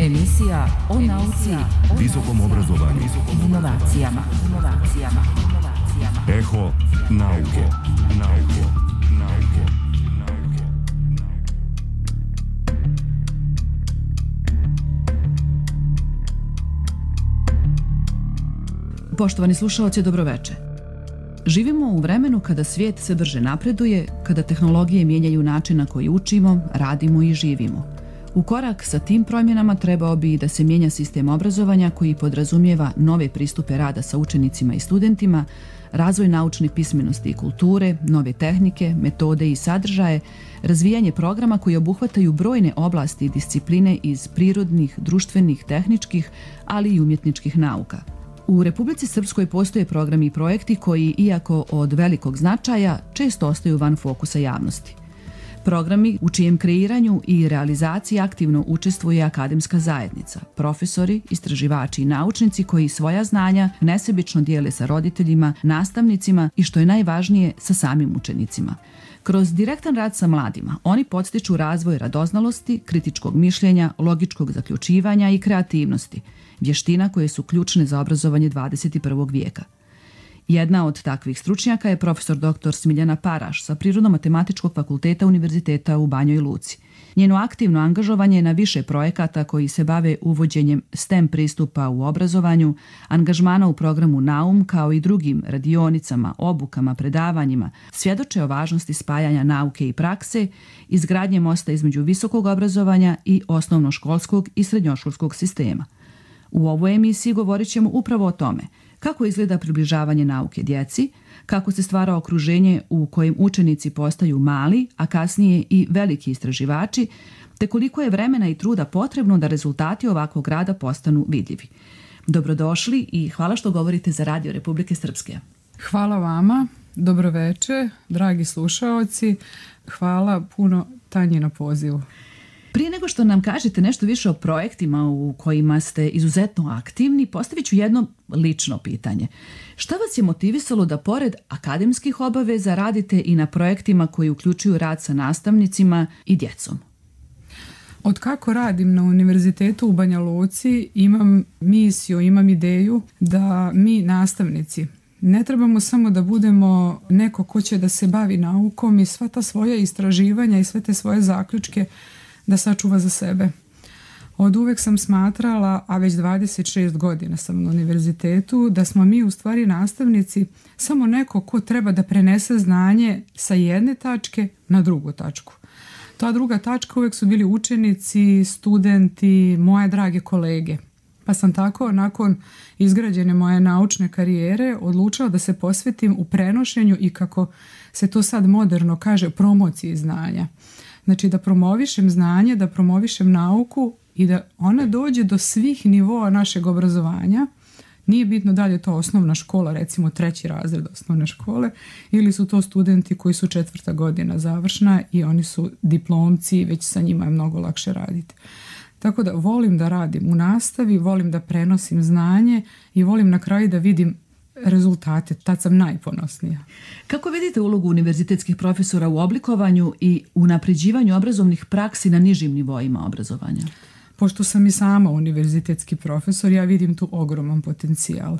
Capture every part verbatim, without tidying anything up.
Emisija o nauci, visokom obrazovanju, inovacijama. inovacijama. Eho nauke. Nauke. Nauke. Nauke. Poštovani slušaoci, dobroveče. Živimo u vremenu kada svijet sve brže napreduje, kada tehnologije mijenjaju način na koji učimo, radimo i živimo. U korak sa tim promjenama trebao bi da se mijenja sistem obrazovanja koji podrazumijeva nove pristupe rada sa učenicima i studentima, razvoj naučne pismenosti i kulture, nove tehnike, metode i sadržaje, razvijanje programa koji obuhvataju brojne oblasti i discipline iz prirodnih, društvenih, tehničkih, ali i umjetničkih nauka. U Republici Srpskoj postoje programi i projekti koji, iako od velikog značaja, često ostaju van fokusa javnosti. Programi u čijem kreiranju i realizaciji aktivno učestvuje akademska zajednica, profesori, istraživači i naučnici koji svoja znanja nesebično dijele sa roditeljima, nastavnicima i, što je najvažnije, sa samim učenicima. Kroz direktan rad sa mladima oni podstiču razvoj radoznalosti, kritičkog mišljenja, logičkog zaključivanja i kreativnosti, vještina koje su ključne za obrazovanje dvadeset prvog vijeka. Jedna od takvih stručnjaka je profesor doktor Smiljana Paraš sa Prirodno-matematičkog fakulteta Univerziteta u Banjoj Luci. Njeno aktivno angažovanje na više projekata koji se bave uvođenjem STEM pristupa u obrazovanju, angažmana u programu Naum kao i drugim radionicama, obukama, predavanjima, svjedoče o važnosti spajanja nauke i prakse, izgradnje mosta između visokog obrazovanja i osnovnoškolskog i srednjoškolskog sistema. U ovoj emisiji govorit ćemo upravo o tome kako izgleda približavanje nauke djeci, kako se stvara okruženje u kojem učenici postaju mali, a kasnije i veliki istraživači, te koliko je vremena i truda potrebno da rezultati ovakvog rada postanu vidljivi. Dobrodošli i hvala što govorite za Radio Republike Srpske. Hvala vama, dobroveče, dragi slušaoci, hvala puno Tanji na pozivu. Prije nego što nam kažete nešto više o projektima u kojima ste izuzetno aktivni, postavit ću jedno lično pitanje. Šta vas je motivisalo da pored akademskih obaveza radite i na projektima koji uključuju rad sa nastavnicima i djecom? Od kako radim na Univerzitetu u Banja Luci imam misiju, imam ideju da mi nastavnici ne trebamo samo da budemo neko ko će da se bavi naukom i sva ta svoja istraživanja i sve te svoje zaključke da sačuva za sebe. Od uvek sam smatrala, a već dvadeset šest godina sam na univerzitetu, da smo mi u stvari nastavnici samo neko ko treba da prenese znanje sa jedne tačke na drugu tačku. Ta druga tačka uvek su bili učenici, studenti, moje drage kolege. Pa sam tako, nakon izgrađene moje naučne karijere, odlučila da se posvetim u prenošenju i, kako se to sad moderno kaže, promociji znanja. Znači da promovišem znanje, da promovišem nauku i da ona dođe do svih nivoa našeg obrazovanja. Nije bitno da li je to osnovna škola, recimo treći razred osnovne škole, ili su to studenti koji su četvrta godina završna i oni su diplomci i već sa njima je mnogo lakše raditi. Tako da volim da radim u nastavi, volim da prenosim znanje i volim na kraju da vidim rezultate, tad sam najponosnija. Kako vidite ulogu univerzitetskih profesora u oblikovanju i unapređivanju obrazovnih praksi na nižim nivoima obrazovanja? Pošto sam i sama univerzitetski profesor, ja vidim tu ogroman potencijal.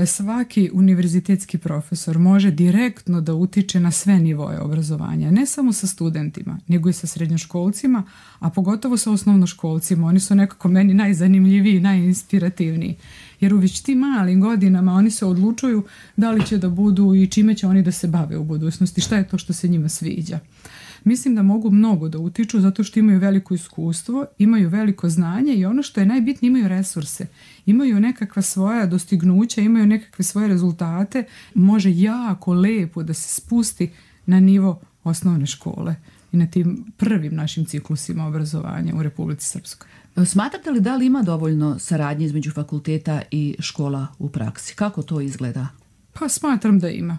Svaki univerzitetski profesor može direktno da utiče na sve nivoje obrazovanja, ne samo sa studentima, nego i sa srednjoškolcima, a pogotovo sa osnovnoškolcima. Oni su nekako meni najzanimljiviji, najinspirativniji. Jer u već tim malim godinama oni se odlučuju da li će da budu i čime će oni da se bave u budućnosti, šta je to što se njima sviđa. Mislim da mogu mnogo da utiču zato što imaju veliko iskustvo, imaju veliko znanje i ono što je najbitnije, imaju resurse, imaju nekakva svoja dostignuća, imaju nekakve svoje rezultate, može jako lepo da se spusti na nivo osnovne škole i na tim prvim našim ciklusima obrazovanja u Republici Srpskoj. Smatrate li da li ima dovoljno saradnje između fakulteta i škola u praksi? Kako to izgleda? Pa smatram da ima.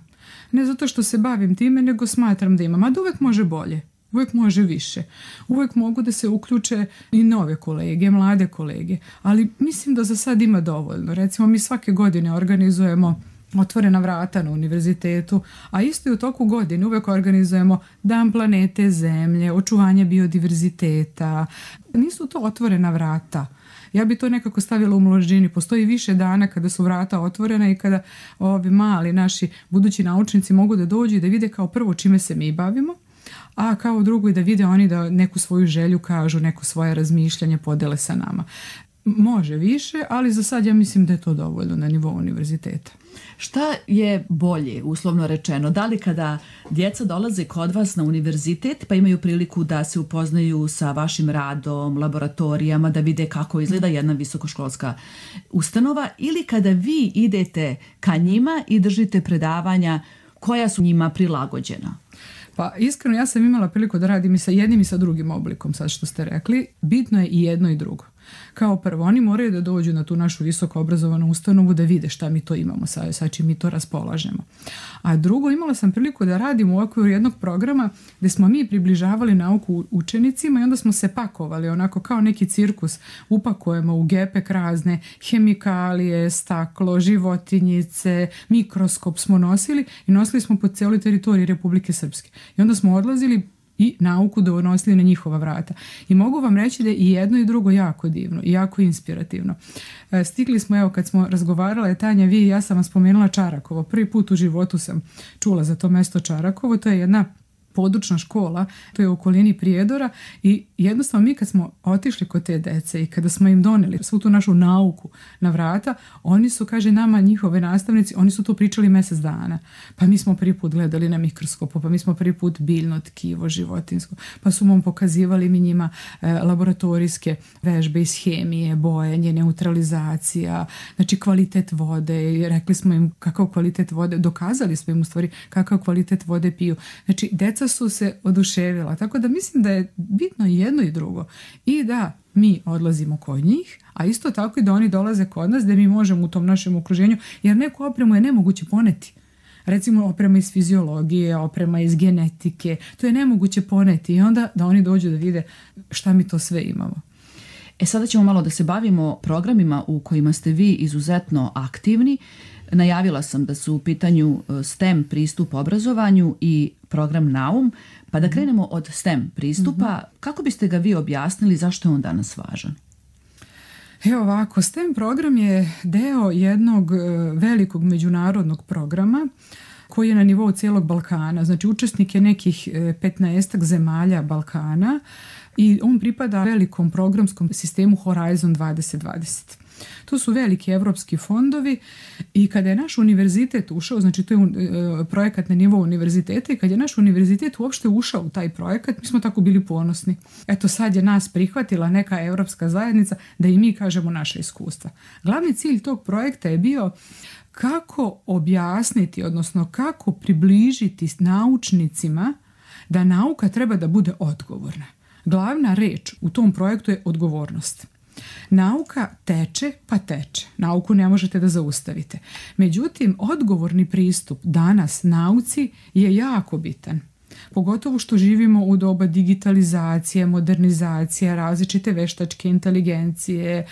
Ne zato što se bavim time, nego smatram da ima. Mada uvek može bolje, uvek može više. Uvek mogu da se uključe i nove kolege, mlade kolege, ali mislim da za sad ima dovoljno. Recimo, mi svake godine organizujemo otvorena vrata na univerzitetu, a isto i u toku godine uvek organizujemo Dan planete Zemlje, očuvanje biodiverziteta. Nisu to otvorena vrata. Ja bi to nekako stavila u množini. Postoji više dana kada su vrata otvorena i kada ovi mali naši budući naučnici mogu da dođu i da vide kao prvo čime se mi bavimo, a kao drugo i da vide oni da neku svoju želju kažu, neko svoje razmišljanje podele sa nama. Može više, ali za sad ja mislim da je to dovoljno na nivou univerziteta. Šta je bolje, uslovno rečeno? Da li kada djeca dolaze kod vas na univerzitet pa imaju priliku da se upoznaju sa vašim radom, laboratorijama, da vide kako izgleda jedna visokoškolska ustanova, ili kada vi idete ka njima i držite predavanja koja su njima prilagođena? Pa iskreno ja sam imala priliku da radim i sa jednim i sa drugim oblikom, sad što ste rekli. Bitno je i jedno i drugo. Kao prvo, oni moraju da dođu na tu našu visoko obrazovanu ustanovu da vide šta mi to imamo, sa, sa čim mi to raspolažemo. A drugo, imala sam priliku da radim u okviru jednog programa gdje smo mi približavali nauku učenicima i onda smo se pakovali onako kao neki cirkus. Upakujemo u gepek razne hemikalije, staklo, životinjice, mikroskop smo nosili i nosili smo po cijeloj teritoriji Republike Srpske. I onda smo odlazili i nauku donosili na njihova vrata. I mogu vam reći da je i jedno i drugo jako divno i jako inspirativno. Stigli smo, evo kad smo razgovarale, Tanja, vi i ja sam vam spomenula Čarakovo. Prvi put u životu sam čula za to mesto Čarakovo. To je jedna područna škola, to je u okolini Prijedora i jednostavno mi kad smo otišli kod te dece i kada smo im doneli svu tu našu nauku na vrata, oni su, kaže nama njihove nastavnici, oni su to pričali mjesec dana. Pa mi smo prvi put gledali na mikroskopu, pa mi smo prvi put biljno tkivo životinsko, pa su nam pokazivali mi njima e, laboratorijske vežbe iz hemije, bojenje, neutralizacija, znači kvalitet vode i rekli smo im kakav kvalitet vode, dokazali smo im u stvari kakav kvalitet vode piju. Znači deca su se oduševila, tako da mislim da je bitno jedno i drugo i da mi odlazimo kod njih, a isto tako i da oni dolaze kod nas da mi možemo u tom našem okruženju, jer neku opremu je nemoguće poneti. Recimo oprema iz fiziologije, oprema iz genetike, to je nemoguće poneti i onda da oni dođu da vide šta mi to sve imamo. E sada ćemo malo da se bavimo programima u kojima ste vi izuzetno aktivni. Najavila sam da su u pitanju STEM pristup obrazovanju i program Naum, pa da krenemo od STEM pristupa. Mm-hmm. Kako biste ga vi objasnili, zašto je on danas važan? Evo ovako, STEM program je deo jednog velikog međunarodnog programa koji je na nivou cijelog Balkana. Znači učesnik je nekih petnaestak zemalja Balkana i on pripada velikom programskom sistemu Horizon dvadeset dvadeset. To su veliki evropski fondovi i kada je naš univerzitet ušao, znači to je projekat na nivou univerziteta i kada je naš univerzitet uopšte ušao u taj projekat, mi smo tako bili ponosni. Eto sad je nas prihvatila neka evropska zajednica da i mi kažemo naše iskustva. Glavni cilj tog projekta je bio kako objasniti, odnosno kako približiti naučnicima da nauka treba da bude odgovorna. Glavna reč u tom projektu je odgovornost. Nauka teče pa teče. Nauku ne možete da zaustavite. Međutim, odgovorni pristup danas nauci je jako bitan. Pogotovo što živimo u doba digitalizacije, modernizacije, različite veštačke inteligencije,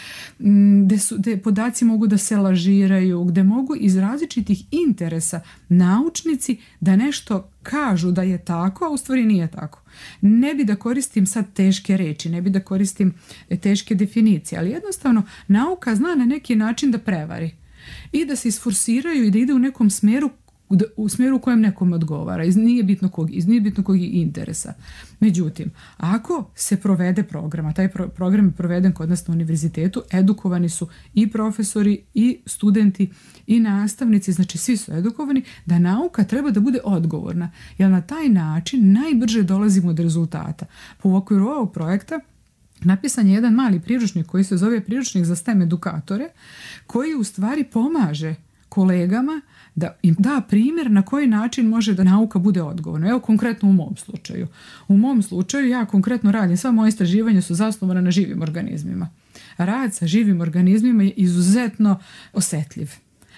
gde, su, gde podaci mogu da se lažiraju, gde mogu iz različitih interesa naučnici da nešto kažu da je tako, a u stvari nije tako. Ne bi da koristim sad teške reči, ne bi da koristim teške definicije, ali jednostavno nauka zna na neki način da prevari i da se isforsiraju i da ide u nekom smeru u smjeru u kojem nekom odgovara, iz nije bitno kog, iz nije bitno kog interesa. Međutim, ako se provede program, a taj pro, program je proveden kod nas na univerzitetu, edukovani su i profesori, i studenti, i nastavnici, znači svi su edukovani da nauka treba da bude odgovorna, jer na taj način najbrže dolazimo do rezultata. Po okviru ovog projekta napisan je jedan mali priručnik koji se zove priručnik za STEM edukatore, koji u stvari pomaže kolegama da im da primjer na koji način može da nauka bude odgovorna. Evo konkretno u mom slučaju. U mom slučaju ja konkretno radim, sva moja istraživanja su zasnovana na živim organizmima. Rad sa živim organizmima je izuzetno osjetljiv.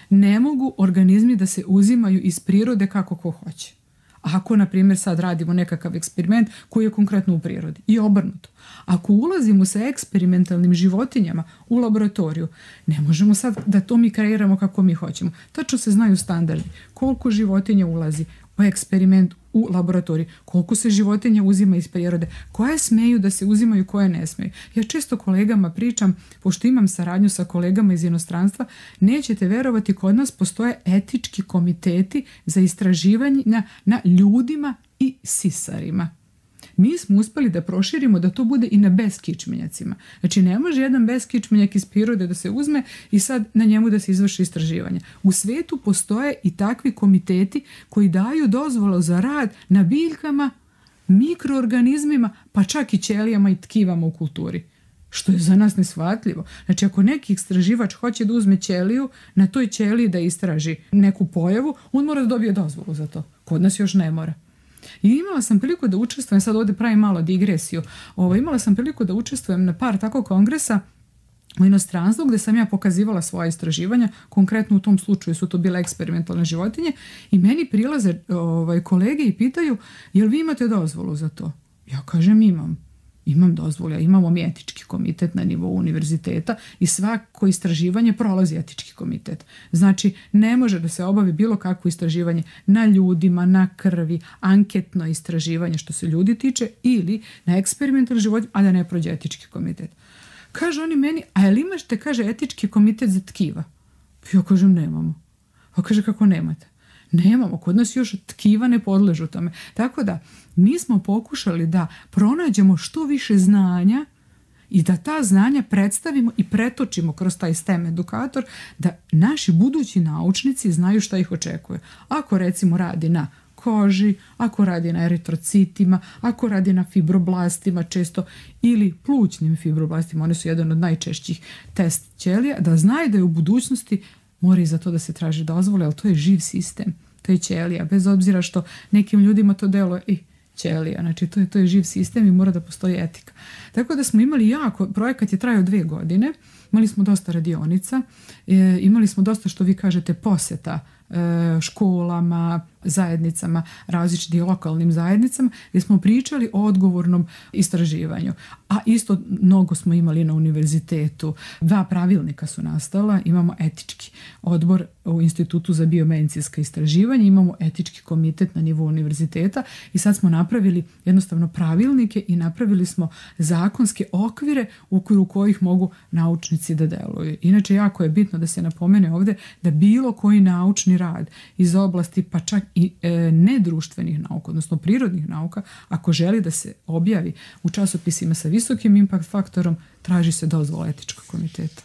Ne mogu organizmi da se uzimaju iz prirode kako ko hoće. ako, na primjer, sad radimo nekakav eksperiment koji je konkretno u prirodi i obrnuto. Ako ulazimo sa eksperimentalnim životinjama u laboratoriju, ne možemo sad da to mi kreiramo kako mi hoćemo. Tačno se znaju standardi. Koliko životinja ulazi u eksperiment u laboratoriji, koliko se životinja uzima iz prirode, koje smeju da se uzimaju, koje ne smeju. Ja često kolegama pričam, pošto imam saradnju sa kolegama iz inostranstva, nećete verovati, kod nas postoje etički komiteti za istraživanja na ljudima i sisarima. Mi smo uspeli da proširimo da to bude i na beskičmenjacima. Znači ne može jedan beskičmenjak iz prirode da se uzme i sad na njemu da se izvrši istraživanje. U svetu postoje i takvi komiteti koji daju dozvolu za rad na biljkama, mikroorganizmima, pa čak i ćelijama i tkivama u kulturi. Što je za nas neshvatljivo. Znači ako neki istraživač hoće da uzme ćeliju, na toj ćeliji da istraži neku pojavu, on mora da dobije dozvolu za to. Kod nas još ne mora. I imala sam priliku da učestvujem, sad ovdje pravim malo digresiju, ovo, imala sam priliku da učestvujem na par tako kongresa u inostranstvu gdje sam ja pokazivala svoja istraživanja, konkretno u tom slučaju su to bile eksperimentalne životinje i meni prilaze ovaj, kolege i pitaju jel vi imate dozvolu za to? Ja kažem imam. Imam dozvolu, imamo mi etički komitet na nivou univerziteta i svako istraživanje prolazi etički komitet. Znači, ne može da se obavi bilo kakvo istraživanje na ljudima, na krvi, anketno istraživanje što se ljudi tiče ili na eksperimentalni život, a da ne prođe etički komitet. Kaže oni meni, a jel imašte, kaže, etički komitet za tkiva? Ja kažem, nemamo. A kaže, kako nemate? Nemamo, kod nas još tkiva ne podležu tome. Tako da, mi smo pokušali da pronađemo što više znanja i da ta znanja predstavimo i pretočimo kroz taj STEM edukator, da naši budući naučnici znaju šta ih očekuje. Ako recimo radi na koži, ako radi na eritrocitima, ako radi na fibroblastima često ili plućnim fibroblastima, one su jedan od najčešćih test ćelija, da znaju da je u budućnosti mora i za to da se traži dozvole, ali to je živ sistem, to je ćelija, bez obzira što nekim ljudima to deluje i ćelija, znači to je, to je živ sistem i mora da postoji etika. Tako da smo imali jako, projekat je trajao dvije godine, imali smo dosta radionica, e, imali smo dosta, što vi kažete, poseta e, školama, zajednicama, različitim lokalnim zajednicama, gdje smo pričali o odgovornom istraživanju. A isto mnogo smo imali na univerzitetu. Dva pravilnika su nastala. Imamo etički odbor u Institutu za biomedicinska istraživanja, imamo etički komitet na nivou univerziteta i sad smo napravili jednostavno pravilnike i napravili smo zakonske okvire u okviru kojih mogu naučnici da deluju. Inače, jako je bitno da se napomene ovdje da bilo koji naučni rad iz oblasti, pa čak i e, nedruštvenih nauka, odnosno prirodnih nauka, ako želi da se objavi u časopisima sa visokim impact faktorom, traži se dozvola etičkog komiteta.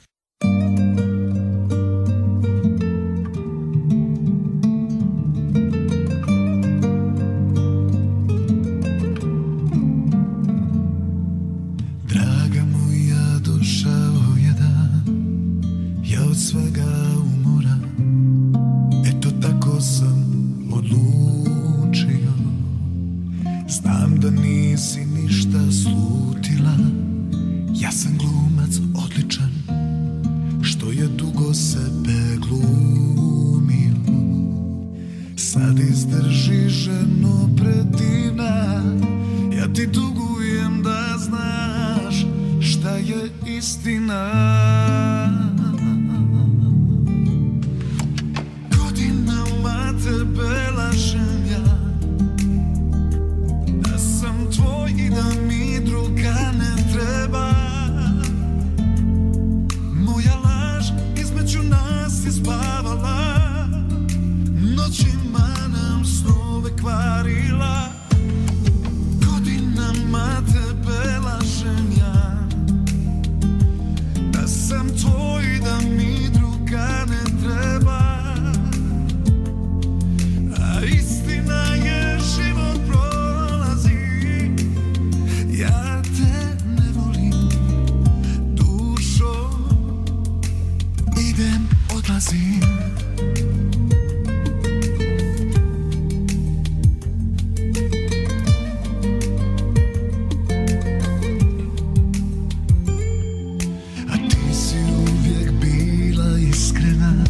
Draga moja, došao je dan, ja od svega umoram, eto tako sam odlučio. Znam da nisi ništa slutila, ja sam glumac odličan, što je dugo sebe glumio. Sad izdrži, ženo predivna, ja ti dugujem da znaš šta je istina. Godinama tebe lažem ja, da sam tvoj i da mi druga ne treba. Moja laž između nas je spavala, noćima nam snove kvarila. Godinama tebe lažem ja, da sam tvoj i da mi druga ne treba. A istina je, život prolazi, ja te ne volim, dušo, idem, odlazim. A ti si uvijek bila iskrena,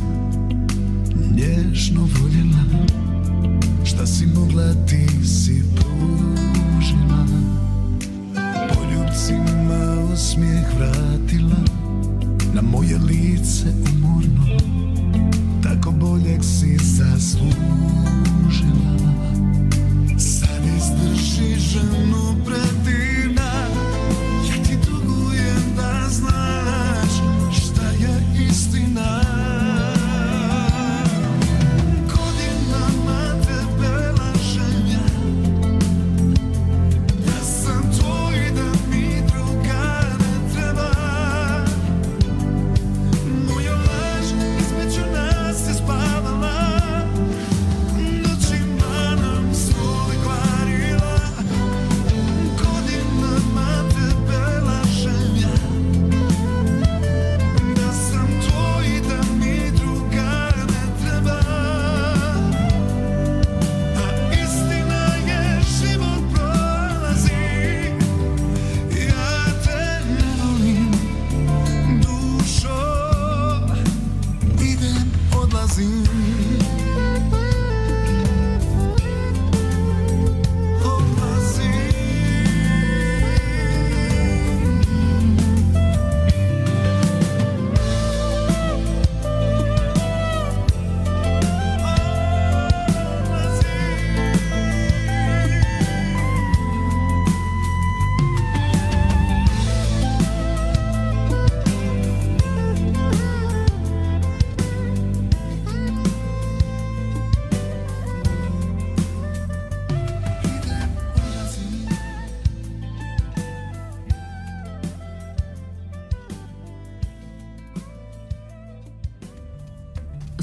nježno voljela, šta si mogla ti na moje lice umorno, tako boljeg si zaslužila. Sad izdrži ženu predivna, ja ti dugujem da znaš šta je istina. Godinama tebe lažem ja, da sam tvoj, da mi druga ne treba. Moja laž između nas je spavala, noćima nam svoj kvarila. Godinama tebe lažem ja, da sam tvoj, da mi druga ne treba. A istina je život prolazi, ja te ne volim, dušo, idem, odlazim.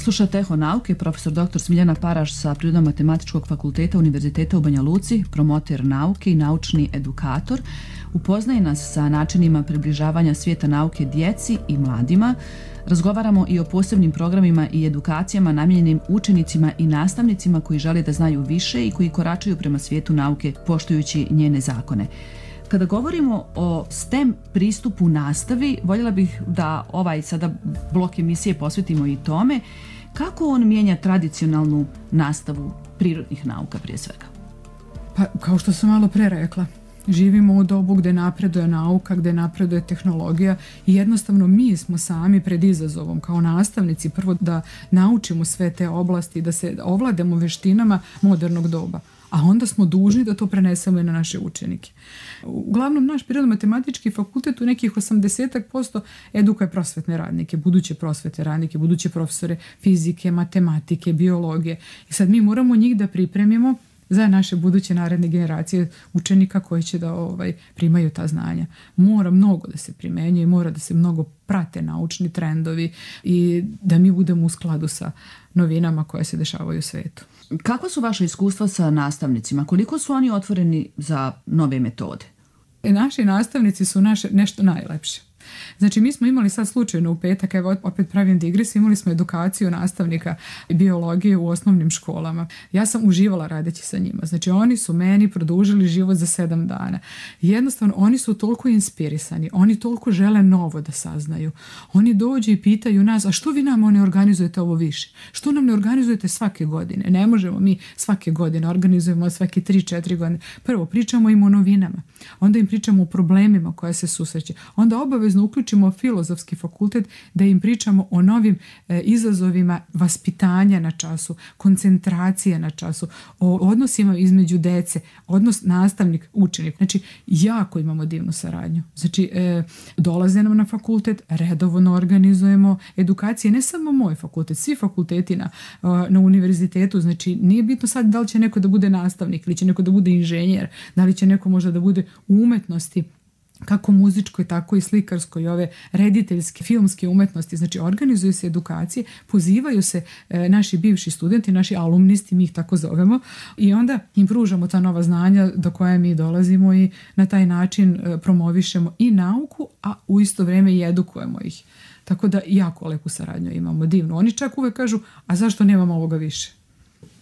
Slušate Eho nauke, profesor doktor Smiljana Paraš sa Prirodno-matematičkog fakulteta Univerziteta u Banja Luci, promoter nauke i naučni edukator. Upoznaje nas sa načinima približavanja svijeta nauke djeci i mladima. Razgovaramo i o posebnim programima i edukacijama namijenjenim učenicima i nastavnicima koji žele da znaju više i koji koračaju prema svijetu nauke poštujući njene zakone. Kada govorimo o STEM pristupu nastavi, voljela bih da ovaj sada blok emisije posvetimo i tome kako on mijenja tradicionalnu nastavu prirodnih nauka prije svega. Pa, kao što sam malo pre rekla, živimo u dobu gdje napreduje nauka, gdje napreduje tehnologija i jednostavno mi smo sami pred izazovom kao nastavnici prvo da naučimo sve te oblasti, da se ovlademo veštinama modernog doba. A onda smo dužni da to prenesemo i na naše učenike. Uglavnom, naš Prirodno-matematički fakultet u nekih osamdeset posto edukuje prosvetne radnike, buduće prosvetne radnike, buduće profesore fizike, matematike, biologije. I sad mi moramo njih da pripremimo za naše buduće naredne generacije učenika koji će da ovaj, primaju ta znanja. Mora mnogo da se primenjuje, mora da se mnogo prate naučni trendovi i da mi budemo u skladu sa novinama koje se dešavaju u svijetu. Kakva su vaše iskustva sa nastavnicima? Koliko su oni otvoreni za nove metode? Naši nastavnici su naše nešto najlepše. Znači, mi smo imali sad slučajno u petak, evo opet pravim digres, imali smo edukaciju nastavnika biologije u osnovnim školama. Ja sam uživala radeći sa njima. Znači, oni su meni produžili život za sedam dana. Jednostavno, oni su toliko inspirisani, oni toliko žele novo da saznaju. Oni dođu i pitaju nas, a što vi nama ne organizujete ovo više? Što nam ne organizujete svake godine? Ne možemo mi svake godine, organizujemo svake tri četiri godine. Prvo, pričamo im o novinama, onda im pričamo o problemima koje se susreće, onda obavezno uključimo filozofski fakultet da im pričamo o novim e, izazovima vaspitanja na času, koncentracije na času, o odnosima između dece, odnos nastavnik-učenik. Znači, jako imamo divnu saradnju. Znači, e, dolaze nam na fakultet, redovno organizujemo edukacije, ne samo moj fakultet, svi fakulteti na, na univerzitetu. Znači, nije bitno sad da li će neko da bude nastavnik ili će neko da bude inženjer, da li će neko možda da bude u umetnosti, kako muzičkoj, tako i slikarskoj i ove rediteljske, filmske umetnosti. Znači, organizuju se edukacije, pozivaju se e, naši bivši studenti, naši alumnisti, mi ih tako zovemo, i onda im pružamo ta nova znanja do koje mi dolazimo i na taj način e, promovišemo i nauku, a u isto vrijeme i edukujemo ih. Tako da jako lepu saradnju imamo, divno. Oni čak uvek kažu, a zašto nemamo ovoga više?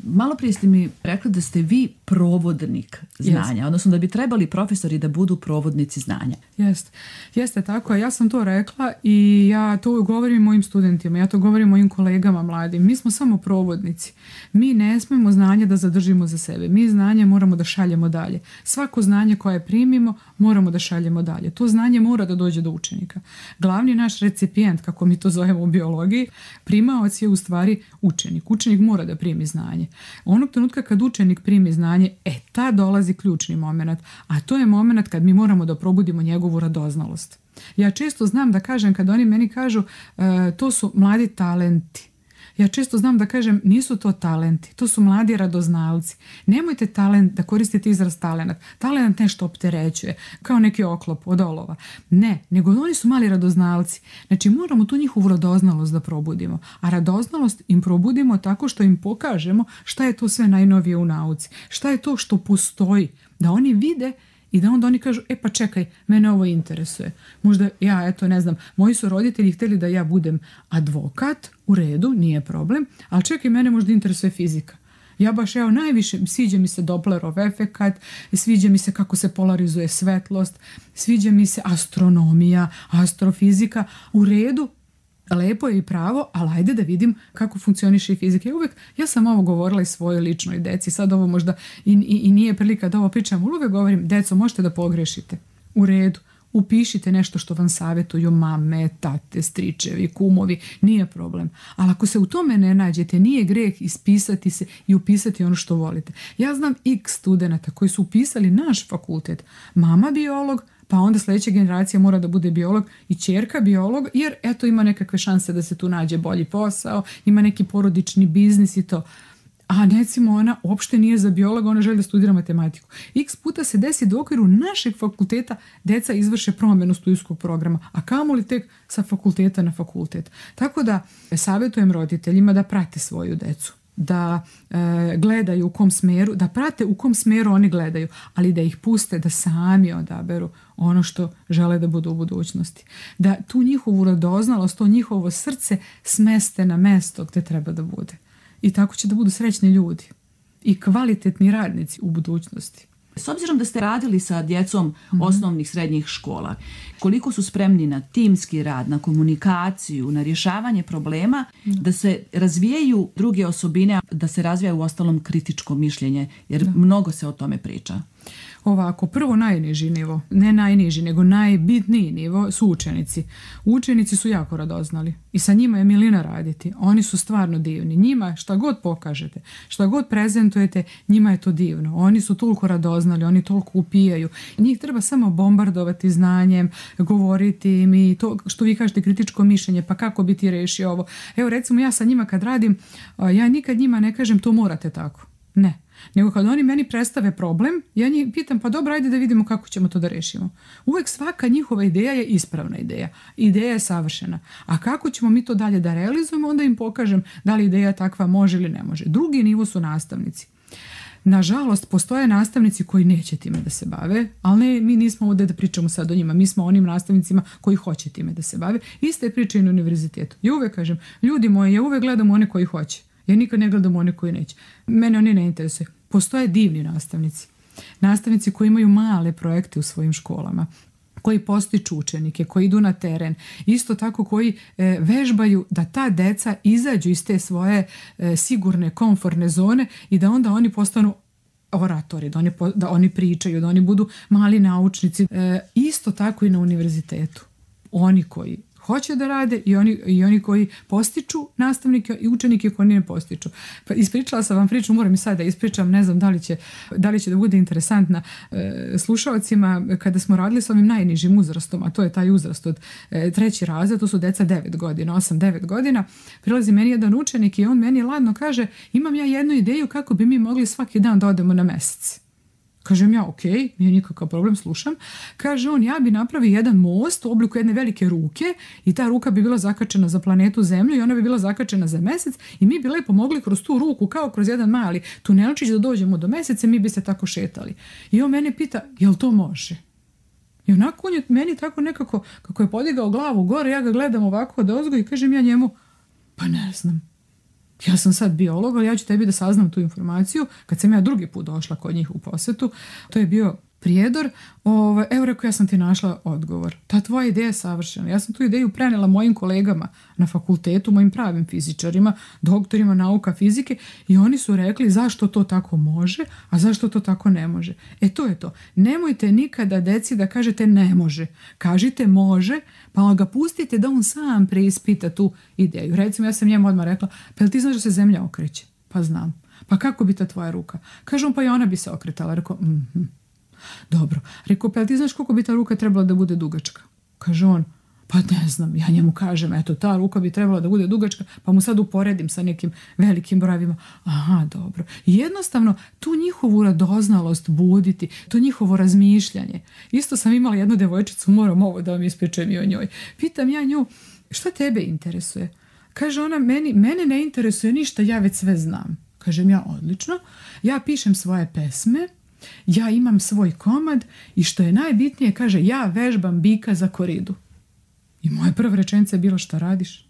Malo prije ste mi rekli da ste vi provodnik znanja, Jest. odnosno da bi trebali profesori da budu provodnici znanja. Jeste, jeste tako. Ja sam to rekla i ja to govorim mojim studentima, ja to govorim mojim kolegama mladim. Mi smo samo provodnici. Mi ne smemo znanje da zadržimo za sebe. Mi znanje moramo da šaljemo dalje. Svako znanje koje primimo moramo da šaljemo dalje. To znanje mora da dođe do učenika. Glavni naš recipijent, kako mi to zovemo u biologiji, primaoc je u stvari učenik. Učenik mora da primi znanje. Onog trenutka kad učenik primi znanje, e, ta dolazi ključni moment, a to je moment kad mi moramo da probudimo njegovu radoznalost. Ja često znam da kažem, kad oni meni kažu e, to su mladi talenti, ja često znam da kažem nisu to talenti, to su mladi radoznalci. Nemojte talent da koristite izraz talenat. Talenat nešto opterećuje, kao neki oklop od olova. Ne, nego oni su mali radoznalci. Znači moramo tu njihovu radoznalost da probudimo. A radoznalost im probudimo tako što im pokažemo šta je to sve najnovije u nauci. Šta je to što postoji. Da oni vide i da onda oni kažu, e pa čekaj, mene ovo interesuje. Možda ja, eto, ne znam, moji su roditelji htjeli da ja budem advokat, u redu, nije problem, ali čekaj, mene možda interesuje fizika. Ja baš, evo, najviše, sviđa mi se Dopplerov efekat, sviđa mi se kako se polarizuje svetlost, sviđa mi se astronomija, astrofizika, u redu, lepo je i pravo, ali ajde da vidim kako funkcioniše i fizika. Ja uvijek, ja sam ovo govorila i svojoj ličnoj deci, sad ovo možda i, i, i nije prilika da ovo pričam, ali uvijek govorim, deco, možete da pogrešite. U redu, upišite nešto što vam savjetuju mame, tate, stričevi, kumovi, nije problem. Ali ako se u tome ne nađete, nije greh ispisati se i upisati ono što volite. Ja znam x studenata koji su upisali naš fakultet, mama biolog, pa onda sljedeća generacija mora da bude biolog i ćerka biolog, jer eto ima nekakve šanse da se tu nađe bolji posao, ima neki porodični biznis i to. A recimo ona uopšte nije za biologa, ona želi da studira matematiku. X puta se desi da u okviru našeg fakulteta deca izvrše promjenu studijskog programa, a kamoli tek sa fakulteta na fakultet. Tako da savjetujem roditeljima da prate svoju decu, da e, gledaju u kom smeru, da prate u kom smeru oni gledaju, ali da ih puste da sami odaberu ono što žele da budu u budućnosti. Da tu njihovu radoznalost, to njihovo srce smeste na mesto gdje treba da bude. I tako će da budu srećni ljudi i kvalitetni radnici u budućnosti. S obzirom da ste radili sa djecom mm-hmm. osnovnih srednjih škola, koliko su spremni na timski rad, na komunikaciju, na rješavanje problema, mm-hmm. da se razvijaju druge osobine, da se razvija u ostalom kritičko mišljenje, jer da. mnogo se o tome priča. Ovako, prvo najniži nivo, ne najniži, nego najbitniji nivo su učenici. Učenici su jako radoznali i sa njima je milina raditi. Oni su stvarno divni. Njima šta god pokažete, šta god prezentujete, njima je to divno. Oni su toliko radoznali, oni toliko upijaju. Njih treba samo bombardovati znanjem, govoriti im i to što vi kažete kritičko mišljenje, pa kako bi ti rešio ovo. Evo recimo ja sa njima kad radim, ja nikad njima ne kažem to morate tako. Ne. Nego kad oni meni predstave problem, ja njih pitam pa dobro, ajde da vidimo kako ćemo to da rešimo. Uvijek svaka njihova ideja je ispravna ideja. Ideja je savršena. A kako ćemo mi to dalje da realizujemo, onda im pokažem da li ideja takva može ili ne može. Drugi nivo su nastavnici. Nažalost, postoje nastavnici koji neće time da se bave, ali ne, mi nismo ovdje da pričamo sad o njima, mi smo onim nastavnicima koji hoće time da se bave. Iste priče i na univerzitetu. Ja uvijek kažem, ljudi moji, ja uvijek gledam one koji hoće. Ja nikad ne gledam one koji neće. Mene oni ne interesuje. Postoje divni nastavnici. Nastavnici koji imaju male projekte u svojim školama, koji postiču učenike, koji idu na teren. Isto tako koji e, vežbaju da ta deca izađu iz te svoje e, sigurne, komfortne zone i da onda oni postanu oratori, da oni, da oni pričaju, da oni budu mali naučnici. E, isto tako i na univerzitetu. Oni koji hoće da rade i oni, i oni koji postiču nastavnike i učenike koji ne postiču. Pa ispričala sam vam priču, moram i sad da ispričam, ne znam da li će, da, li će da bude interesantna e, slušalcima kada smo radili s ovim najnižim uzrastom, a to je taj uzrast od e, treći razred, to su deca devet godina, osam devet godina, prilazi meni jedan učenik i on meni ladno kaže, imam ja jednu ideju kako bi mi mogli svaki dan da odemo na mesec. Kažem ja, ok, nije nikakav problem, slušam. Kaže on, ja bi napravio jedan most u obliku jedne velike ruke i ta ruka bi bila zakačena za planetu Zemlju i ona bi bila zakačena za mesec i mi bi lepo mogli kroz tu ruku, kao kroz jedan mali tunelčić da dođemo do meseca, mi bi se tako šetali. I on mene pita, jel to može? I onako on je meni tako nekako, kako je podigao glavu gore, ja ga gledam ovako od ozgo i kažem ja njemu, pa ne znam. Ja sam sad biolog, ali ja ću tebi da saznam tu informaciju. Kad sam ja drugi put došla kod njih u posetu, to je bio prijedor, ovo, evo rekao, ja sam ti našla odgovor. Ta tvoja ideja je savršena. Ja sam tu ideju prenela mojim kolegama na fakultetu, mojim pravim fizičarima, doktorima nauka fizike i oni su rekli zašto to tako može, a zašto to tako ne može. E to je to. Nemojte nikada deci da kažete ne može. Kažite može, pa ga pustite da on sam preispita tu ideju. Recimo, ja sam njemu odmah rekla, pa jel ti znaš da se zemlja okreće? Pa znam. Pa kako bi ta tvoja ruka? Kažem, pa i ona bi se okretala. Rekao, mhm. Dobro. Rekao, pa ti znaš koliko bi ta ruka trebala da bude dugačka? Kaže on, pa ne znam. Ja njemu kažem, eto, ta ruka bi trebala da bude dugačka, pa mu sad uporedim sa nekim velikim brojevima. Aha, dobro. I jednostavno, tu njihovu radoznalost buditi, to njihovo razmišljanje. Isto sam imala jednu devojčicu, moram ovo da vam ispečem i o njoj. Pitam ja nju, šta tebe interesuje? Kaže ona, meni, mene ne interesuje ništa, ja već sve znam. Kažem ja, odlično. Ja pišem svoje pesme, ja imam svoj komad i što je najbitnije, kaže, ja vežbam bika za koridu. I moja prva rečenica je bila, šta radiš?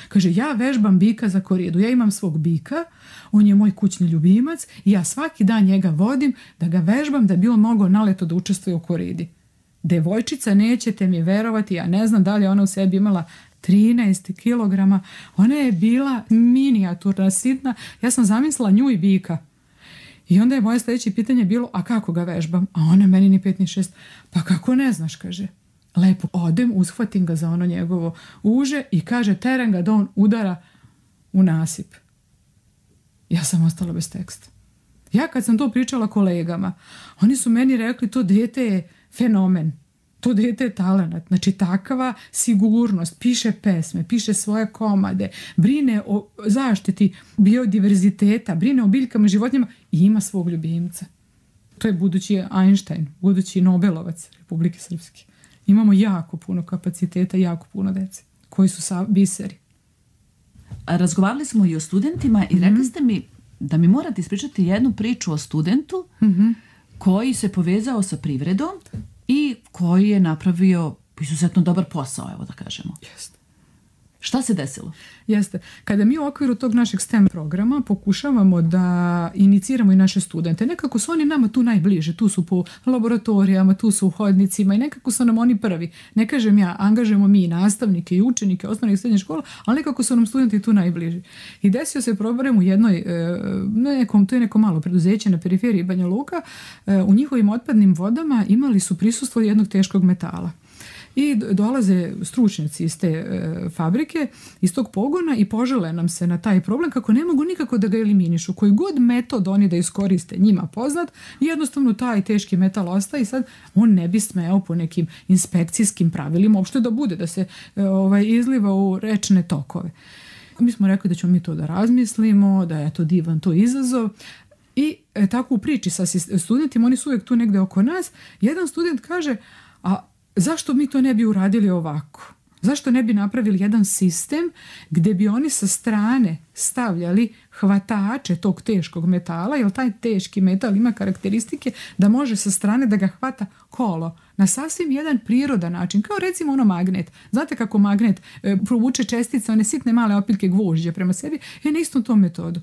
Kaže, ja vežbam bika za koridu. Ja imam svog bika, on je moj kućni ljubimac i ja svaki dan njega vodim da ga vežbam da bi on mogao naleto da učestvuje u koridi. Devojčica, nećete mi verovati, ja ne znam da li ona u sebi imala trinaest kilograma. Ona je bila minijaturna, sitna. Ja sam zamislila nju i bika. I onda je moje sljedeće pitanje bilo, a kako ga vežbam? A ona meni ni pet ni šest. Pa kako ne znaš, kaže. Lepo odem, ushvatim ga za ono njegovo uže i kaže, teren ga da on udara u nasip. Ja sam ostala bez teksta. Ja kad sam to pričala kolegama, oni su meni rekli, to dete je fenomen. To dete je talenat. Znači takva sigurnost, piše pesme, piše svoje komade, brine o zaštiti biodiverziteta, brine o biljkama, životinjama i ima svog ljubimca. To je budući Einstein, budući Nobelovac Republike Srpske. Imamo jako puno kapaciteta, jako puno dece koji su sa biseri. Razgovarali smo i o studentima i rekli ste mi da mi morate ispričati jednu priču o studentu mm-hmm. koji se povezao sa privredom i koji je napravio izuzetno dobar posao, evo da kažemo. Jeste. Šta se desilo? Jeste. Kada mi u okviru tog našeg STEM programa pokušavamo da iniciramo i naše studente, nekako su oni nama tu najbliže, tu su po laboratorijama, tu su u hodnicima i nekako su nam oni prvi. Ne kažem ja, angažujemo mi i nastavnike i učenike osnovnih i srednjih škola, ali nekako su nam studenti tu najbliži. I desio se problem u jednoj, nekom, to je neko malo preduzeće na periferiji Banja Luka, u njihovim otpadnim vodama imali su prisustvo jednog teškog metala. I dolaze stručnjaci iz te e, fabrike, iz tog pogona i požele nam se na taj problem kako ne mogu nikako da ga eliminišu. Koji god metod oni da iskoriste njima poznat, jednostavno taj teški metal ostaje i sad on ne bi smeo po nekim inspekcijskim pravilima uopšte da bude, da se e, ovaj, izliva u rečne tokove. Mi smo rekli da ćemo mi to da razmislimo, da je to divan to izazov. I e, tako u priči sa studentima, oni su uvijek tu negde oko nas, jedan student kaže, a zašto mi to ne bi uradili ovako? Zašto ne bi napravili jedan sistem gdje bi oni sa strane stavljali hvatače tog teškog metala, jer taj teški metal ima karakteristike da može sa strane da ga hvata kolo na sasvim jedan prirodan način, kao recimo ono magnet. Znate kako magnet e, provuče čestice, one sitne male opiljke gvožđa prema sebi, je na istom tom metodu.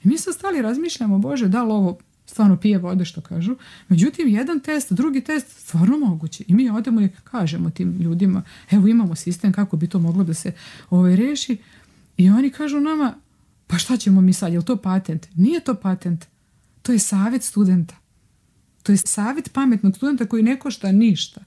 I mi sad stali razmišljamo, Bože, da li ovo stvarno pije vode, što kažu. Međutim, jedan test, drugi test, stvarno moguće. I mi odemo i kažemo tim ljudima, evo imamo sistem kako bi to moglo da se ovaj, reši. I oni kažu nama, pa šta ćemo mi sad, je li to patent? Nije to patent. To je savjet studenta. To je savjet pametnog studenta koji ne košta ništa.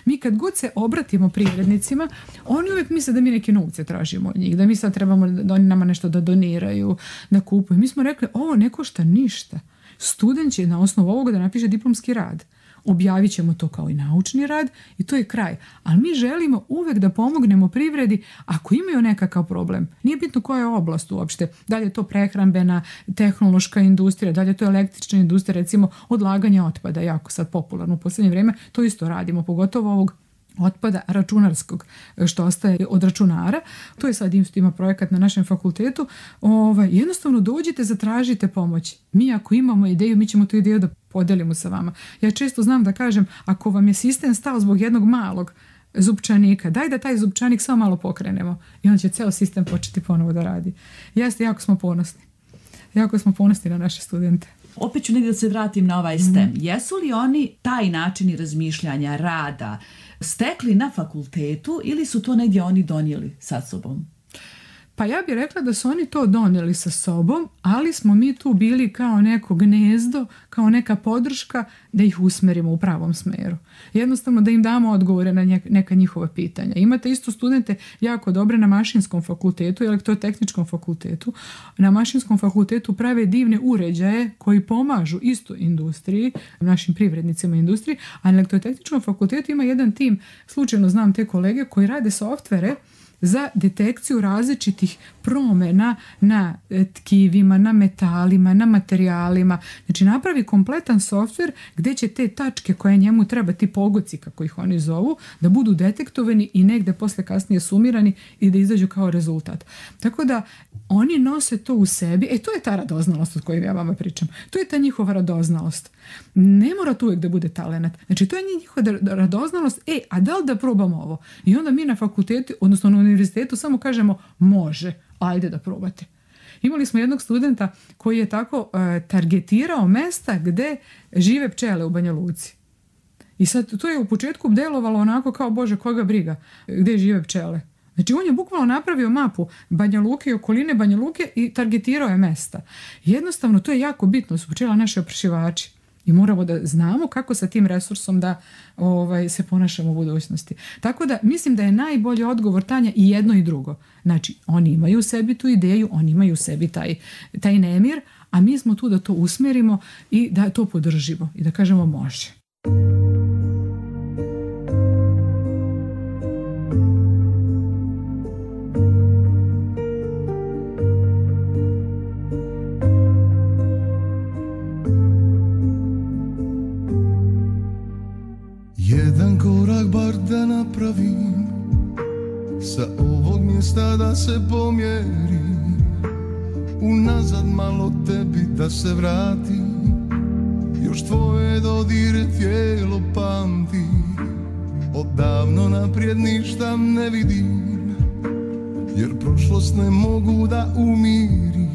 Mi kad god se obratimo privrednicima, oni uvijek misle da mi neke novce tražimo od njih, da mi sad trebamo da oni nama nešto da doniraju, da kupuju. Mi smo rekli, ovo ne košta ništa. Student će na osnovu ovoga da napiše diplomski rad. Objavit ćemo to kao i naučni rad i to je kraj. Ali mi želimo uvek da pomognemo privredi ako imaju nekakav problem. Nije bitno koja je oblast uopšte. Da li je to prehrambena, tehnološka industrija, da li je to električna industrija, recimo odlaganje otpada, jako sad popularno u posljednje vrijeme. To isto radimo, pogotovo ovog otpada računarskog što ostaje od računara. To je sad isto ima projekat na našem fakultetu. Ovaj, jednostavno dođite, zatražite pomoć. Mi ako imamo ideju, mi ćemo tu ideju da podelimo sa vama. Ja često znam da kažem, ako vam je sistem stao zbog jednog malog zupčanika, daj da taj zupčanik samo malo pokrenemo i on će ceo sistem početi ponovo da radi. Jeste, jako smo ponosni. Jako smo ponosni na naše studente. Opet ću negdje da se vratim na ovaj STEM. Mm. Jesu li oni taj način razmišljanja, rada stekli na fakultetu ili su to negdje oni donijeli sa sobom? Pa ja bih rekla da su oni to donijeli sa sobom, ali smo mi tu bili kao neko gnezdo, kao neka podrška da ih usmerimo u pravom smeru. Jednostavno da im damo odgovore na neka njihova pitanja. Imate isto studente jako dobre na mašinskom fakultetu i elektrotehničkom fakultetu. Na mašinskom fakultetu prave divne uređaje koji pomažu isto industriji, našim privrednicima industriji, a na elektrotehničkom fakultetu ima jedan tim, slučajno znam te kolege, koji rade softvere za detekciju različitih promjena na tkivima, na metalima, na materijalima. Znači napravi kompletan softver gdje će te tačke koje njemu treba, ti pogoci kako ih oni zovu, da budu detektovani i negdje posle kasnije sumirani i da izađu kao rezultat. Tako da oni nose to u sebi. E to je ta radoznalost od kojoj ja vama pričam. To je ta njihova radoznalost. Ne mora to uvijek da bude talenat. Znači to je njihova radoznalost. E, a da li da probamo ovo? I onda mi na fakultetu, odnosno na univerzitetu samo kažemo može, ajde da probate. Imali smo jednog studenta koji je tako uh, targetirao mesta gde žive pčele u Banja Luci. I sad to je u početku delovalo onako kao bože koga briga gde žive pčele. Znači on je bukvalno napravio mapu Banja Luke i okoline Banja Luke i targetirao je mesta. Jednostavno to je jako bitno, su pčela naši oprašivači. I moramo da znamo kako sa tim resursom da ovaj, se ponašamo u budućnosti. Tako da mislim da je najbolji odgovor, Tanja, i jedno i drugo. Znači, oni imaju u sebi tu ideju, oni imaju u sebi taj, taj nemir, a mi smo tu da to usmjerimo i da to podržimo i da kažemo može. Jedan korak bar da napravim, sa ovog mjesta da se pomjerim, unazad malo tebi da se vratim, još tvoje dodire tijelo pamti, odavno naprijed ništa ne vidim, jer prošlost ne mogu da umirim,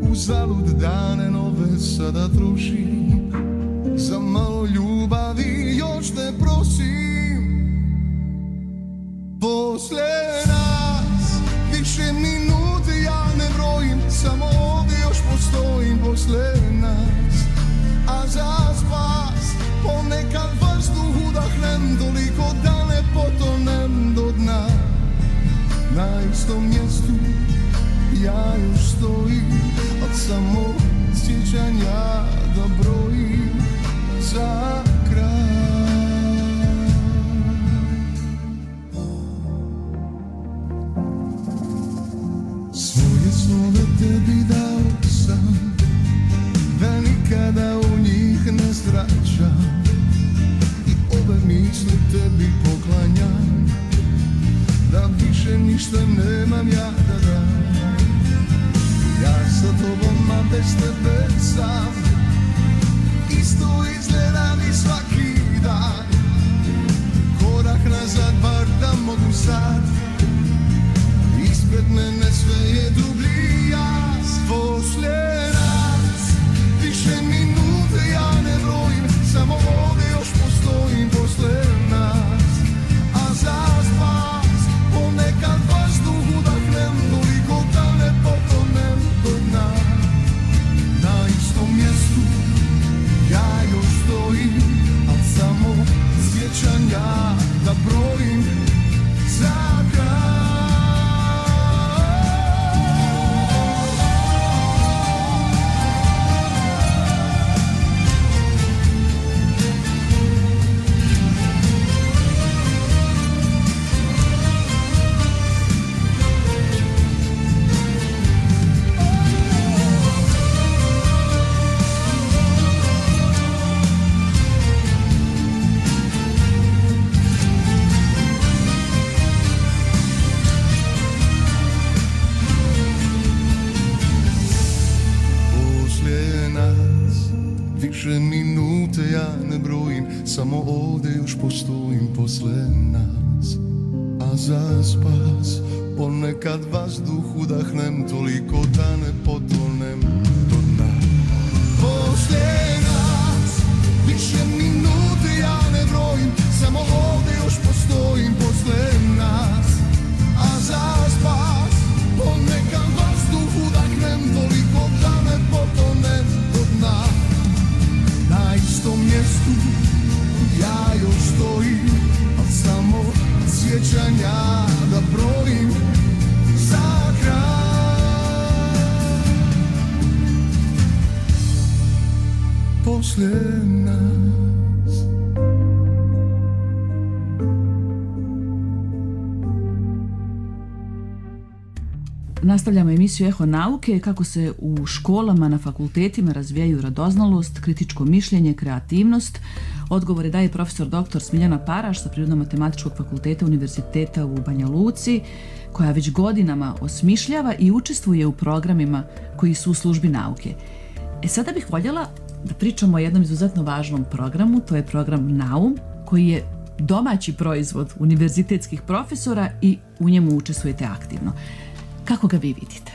uzalud dane nove sada trošim, za malo ljubavi još te prosim. Posle nas više minuti ja ne brojim, samo ovdje još postojim posle nas. A za spas ponekad vazduh udahnem, toliko da ne potonem do dna. Na istom mjestu ja još stojim, od samo sjećanja da brojim za kraj. Svoje snove tebi dao sam, da nikada u njih ne zračam, i ove misli tebi poklanjam, da više ništa nemam ja da dam. Ja sa tobom, a bez tebe sam, isto izgledam i svaki dan. Korak nazad bar da mogu sad, ispred mene sve je dublji jaz. Poslije nas više minute ja ne brojim, samo ovdje još postojim posle nas. A za spas ponekad vazduh udahnem, toliko da ne potonem do dna. Na istom mjestu ja još stojim, al samo sjećanja da brojim za kraj. samo ovdje još postojim posle nas. A za spas ponekad vazduh udahnem, toliko da ne potonem do dna. Posle nas više minute ja ne brojim, samo ovdje još postojim posle nas. A za spas ponekad vazduh udahnem, toliko da ne potonem do dna. Na istom mjestu ja još stojim, al samo sjećanja da brojim za kraj. Posle nas. Nastavljamo emisiju Eho nauke, kako se u školama, na fakultetima razvijaju radoznalost, kritičko mišljenje, kreativnost. Odgovore daje profesor doktor Smiljana Paraš sa Prirodno-matematičkog fakulteta Univerziteta u Banja Luci, koja već godinama osmišljava i učestvuje u programima koji su u službi nauke. E sada bih voljela da pričamo o jednom izuzetno važnom programu, to je program Naum, koji je domaći proizvod univerzitetskih profesora i u njemu učestvujete aktivno. Kako ga vi vidite?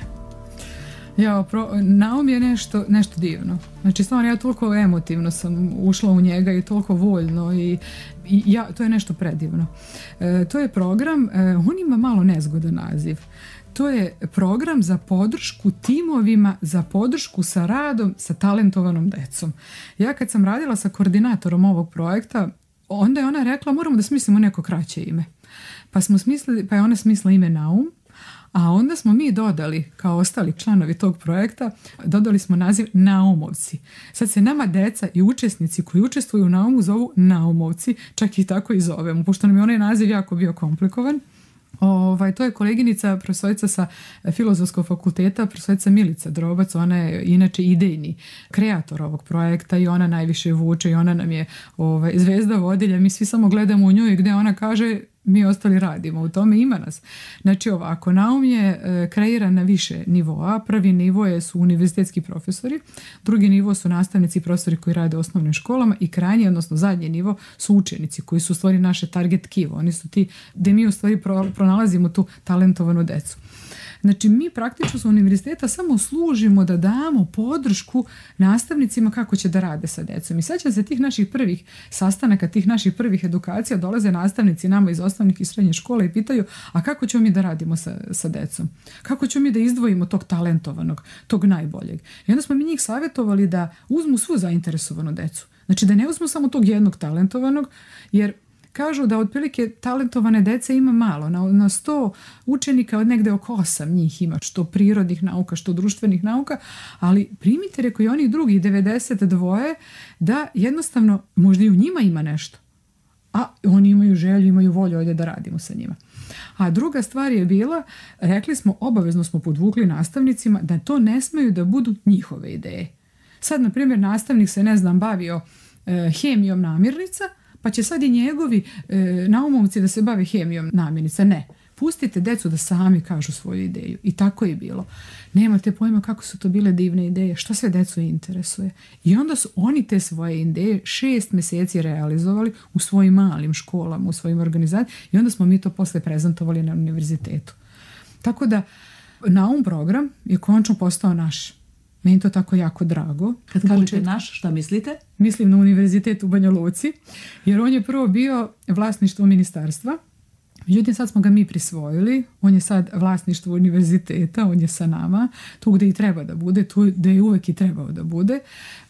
Ja, pro, Naum je nešto, nešto divno. Znači, stvarno, ja toliko emotivno sam ušla u njega i toliko voljno i, i ja, to je nešto predivno. E, to je program, e, on ima malo nezgodan naziv. To je program za podršku timovima, za podršku sa radom sa talentovanom decom. Ja kad sam radila sa koordinatorom ovog projekta, onda je ona rekla moramo da smislimo neko kraće ime. Pa smo smislili, pa je ona smislila ime Naum. A onda smo mi dodali, kao ostali članovi tog projekta, dodali smo naziv Naumovci. Sad se nama deca i učesnici koji učestvuju u Naumu zovu Naumovci, čak i tako i zovemo, pošto nam je onaj naziv jako bio komplikovan. Ovaj, to je koleginica, profesorica sa Filozofskog fakulteta, profesorica Milica Drobac, ona je inače idejni kreator ovog projekta i ona najviše vuče i ona nam je ovaj, zvezda vodilja, mi svi samo gledamo u njoj gdje ona kaže mi ostali radimo, u tome ima nas. Znači ovako, Naum je e, kreiran na više nivoa. Prvi nivo je, su univerzitetski profesori, drugi nivo su nastavnici i profesori koji rade u osnovnim školama i krajnji, odnosno zadnji nivo su učenici koji su u stvari naše target tkivo. Oni su ti gdje mi u stvari pro, pronalazimo tu talentovanu decu. Znači mi praktično sa univerziteta samo služimo da damo podršku nastavnicima kako će da rade sa decom. I sad će se tih naših prvih sastanaka, tih naših prvih edukacija dolaze nastavnici nama iz osnovnih i srednjih škola i pitaju a kako ćemo mi da radimo sa, sa decom? Kako ćemo mi da izdvojimo tog talentovanog, tog najboljeg? I onda smo mi njih savjetovali da uzmu svu zainteresovanu decu. Znači da ne uzmu samo tog jednog talentovanog, jer kažu da otprilike talentovane dece ima malo. Na, na sto učenika od negde oko osam njih ima, što prirodnih nauka, što društvenih nauka, ali primite, reko i onih drugih devedeset dva da jednostavno možda i u njima ima nešto. A oni imaju želju, imaju volju ovdje da radimo sa njima. A druga stvar je bila, rekli smo, obavezno smo podvukli nastavnicima da to ne smeju da budu njihove ideje. Sad, na primjer, nastavnik se, ne znam, bavio e, hemijom namirnica, pa će sad i njegovi e, naumovci da se bave hemijom namirnica. Ne. Pustite decu da sami kažu svoju ideju. I tako je bilo. Nemate pojma kako su to bile divne ideje, što sve decu interesuje. I onda su oni te svoje ideje šest mjeseci realizovali u svojim malim školama, u svojim organizacijama i onda smo mi to posle prezentovali na univerzitetu. Tako da Naum program je končno postao naš. Meni to tako jako drago. Kad kažete naš, šta mislite? Mislim na univerzitet u Banja Luci, jer on je prvo bio vlasništvo ministarstva. Međutim, sad smo ga mi prisvojili, on je sad vlasništvo univerziteta, on je sa nama, tu gdje i treba da bude, tu gdje je uvek i trebao da bude,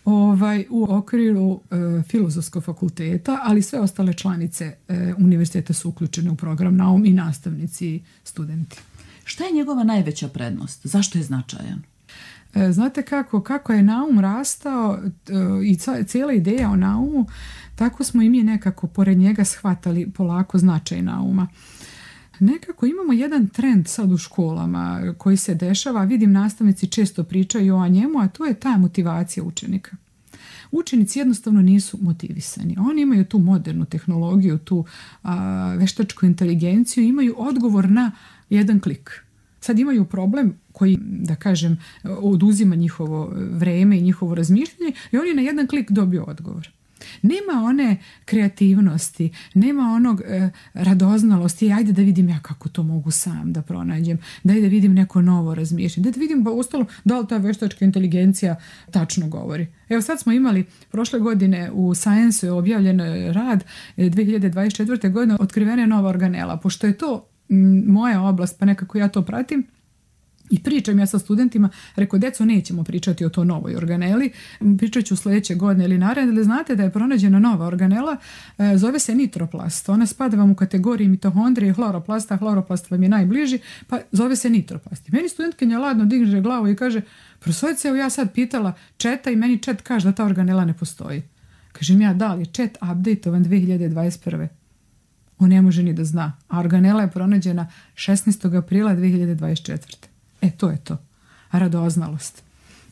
ovaj, u okviru e, Filozofskog fakulteta, ali sve ostale članice e, univerziteta su uključene u program Naum i nastavnici i studenti. Šta je njegova najveća prednost? Zašto je značajan? E, znate kako, kako je Naum rastao e, i cijela ideja o Naumu, tako smo i mi nekako pored njega shvatali polako značaj Nauma. Nekako imamo jedan trend sad u školama koji se dešava, vidim nastavnici često pričaju o njemu, a to je ta motivacija učenika. Učenici jednostavno nisu motivisani. Oni imaju tu modernu tehnologiju, tu a, veštačku inteligenciju, imaju odgovor na jedan klik. Sad imaju problem koji, da kažem, oduzima njihovo vreme i njihovo razmišljanje i oni na jedan klik dobiju odgovor. Nema one kreativnosti, nema onog e, radoznalosti, ajde da vidim ja kako to mogu sam da pronađem, daj da vidim neko novo razmišljanje, da vidim ba ostalo da li ta veštačka inteligencija tačno govori. Evo sad smo imali prošle godine u Science je objavljen rad dve hiljade dvadeset četvrte. godine otkrivena je nova organela. Pošto je to m, moja oblast, pa nekako ja to pratim, i pričam ja sa studentima, rekao, deco, nećemo pričati o to novoj organeli, pričat ću sljedeće godine ili naredne, ali znate da je pronađena nova organela, e, zove se nitroplast. Ona spada vam u kategoriji mitohondrije, hloroplasta, hloroplast vam je najbliži, pa zove se nitroplast. I meni studentkinja ladno digne glavu i kaže, profesorice, evo ja sad pitala četa i meni čet kaže da ta organela ne postoji. Kažem ja, da li čet updateovan dve hiljade dvadeset prve. On ne može ni da zna, a organela je pronađena šesnaestog aprila dve hiljade dvadeset četvrte. E, to je to. Radoznalost.